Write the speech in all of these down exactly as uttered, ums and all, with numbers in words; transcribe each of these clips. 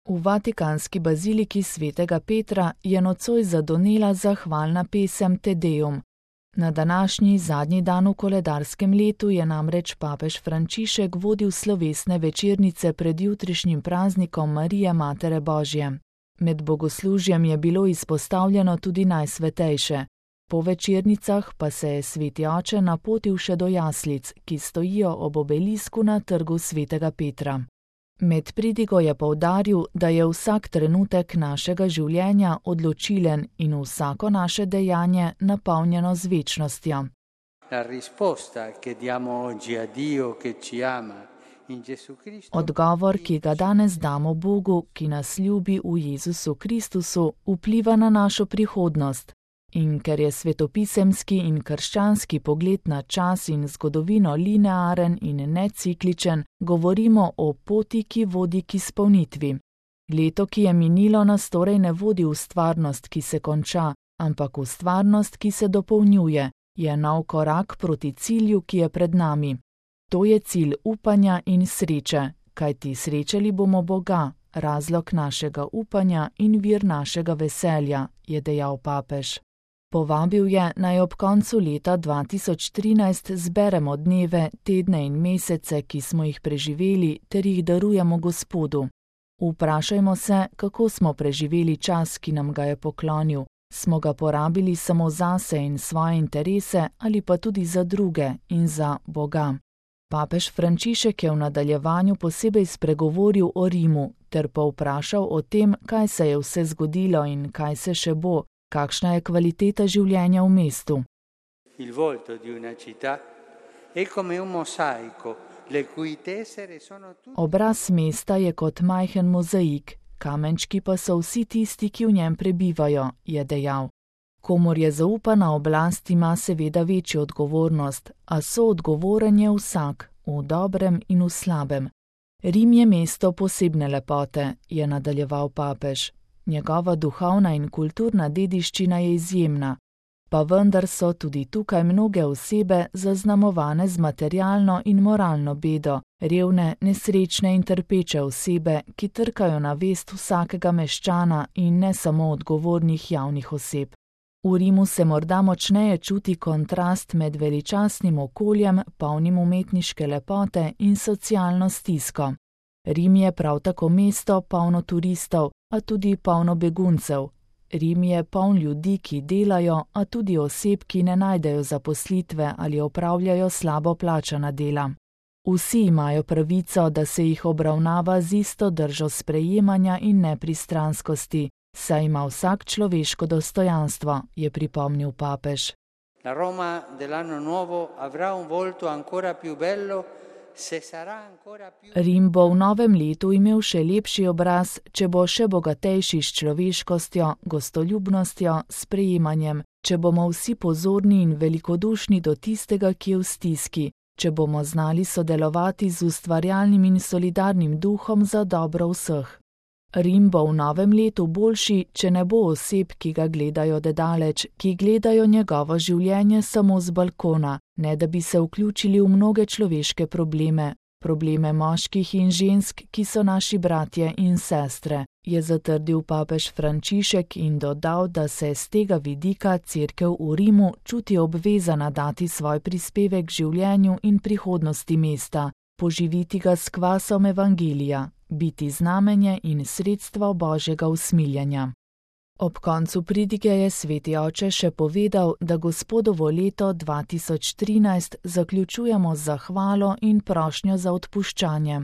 V vatikanski baziliki svetega Petra je nocoj zadonela zahvalna pesem Te Deum. Na današnji zadnji dan v koledarskem letu je namreč papež Frančišek vodil slovesne večernice pred jutrišnjim praznikom Marije Matere Božje. Med bogoslužjem je bilo izpostavljeno tudi najsvetejše. Po večernicah pa se je sveti oče napotil še do jaslic, ki stojijo ob obelisku na trgu svetega Petra. Med pridigo je poudaril, da je vsak trenutek našega življenja odločilen in vsako naše dejanje napolnjeno z večnostjo. Odgovor, ki ga danes damo Bogu, ki nas ljubi v Jezusu Kristusu, vpliva na našo prihodnost. In ker je svetopisemski in krščanski pogled na čas in zgodovino linearen in necikličen, govorimo o poti, ki vodi k izpolnitvi. Leto, ki je minilo, nas torej ne vodi v stvarnost, ki se konča, ampak v stvarnost, ki se dopolnjuje, je nov korak proti cilju, ki je pred nami. To je cilj upanja in sreče, kajti srečali bomo Boga, razlog našega upanja in vir našega veselja, je dejal papež. Povabil je, naj ob koncu leta dva tisoč trinajst zberemo dneve, tedne in mesece, ki smo jih preživeli, ter jih darujemo Gospodu. Vprašajmo se, kako smo preživeli čas, ki nam ga je poklonil. Smo ga porabili samo zase in svoje interese ali pa tudi za druge in za Boga. Papež Frančišek je v nadaljevanju posebej spregovoril o Rimu ter povprašal o tem, kaj se je vse zgodilo in kaj se še bo. Kakšna je kvaliteta življenja v mestu? Obraz mesta je kot majhen mozaik, kamenčki pa so vsi tisti, ki v njem prebivajo, je dejal. Komur je zaupana oblast, ima seveda večjo odgovornost, a soodgovoren je vsak, v dobrem in v slabem. Rim je mesto posebne lepote, je nadaljeval papež. Njegova duhovna in kulturna dediščina je izjemna, pa vendar so tudi tukaj mnoge osebe zaznamovane z materialno in moralno bedo, revne, nesrečne in trpeče osebe, ki trkajo na vest vsakega meščana in ne samo odgovornih javnih oseb. V Rimu se morda močneje čuti kontrast med veličastnim okoljem, polnim umetniške lepote in socialno stisko. Rim je prav tako mesto polno turistov, a tudi polno beguncev. Rim je poln ljudi, ki delajo, a tudi oseb, ki ne najdejo zaposlitve ali opravljajo slabo plačana dela. Vsi imajo pravico, da se jih obravnava z isto držo sprejemanja in nepristranskosti, saj ima vsak človeško dostojanstvo, je pripomnil papež. La Roma dell'anno nuovo avrà un volto ancora più bello. Rim bo v novem letu imel še lepši obraz, če bo še bogatejši s človeškostjo, gostoljubnostjo, sprejemanjem, če bomo vsi pozorni in velikodušni do tistega, ki je v stiski, če bomo znali sodelovati z ustvarjalnim in solidarnim duhom za dobro vseh. Rim bo v novem letu boljši, če ne bo oseb, ki ga gledajo dedaleč, ki gledajo njegovo življenje samo z balkona, ne da bi se vključili v mnoge človeške probleme, probleme moških in žensk, ki so naši bratje in sestre, je zatrdil papež Frančišek in dodal, da se z tega vidika cerkev v Rimu čuti obvezana dati svoj prispevek k življenju in prihodnosti mesta, poživiti ga s kvasom evangelija, biti znamenje in sredstvo Božjega usmiljanja. Ob koncu pridige je sveti oče še povedal, da Gospodovo leto dva tisoč trinajst zaključujemo z zahvalo in prošnjo za odpuščanje.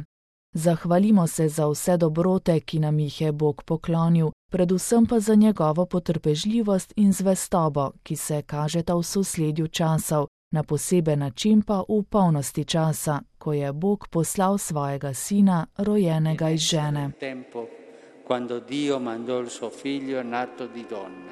Zahvalimo se za vse dobrote, ki nam jih je Bog poklonil, predvsem pa za njegovo potrpežljivost in zvestobo, ki se kažeta v sosledju časov, na poseben način pa v polnosti časa, ko je Bog poslal svojega sina, rojenega iz žene. Quando Dio mandò il suo figlio nato di donna.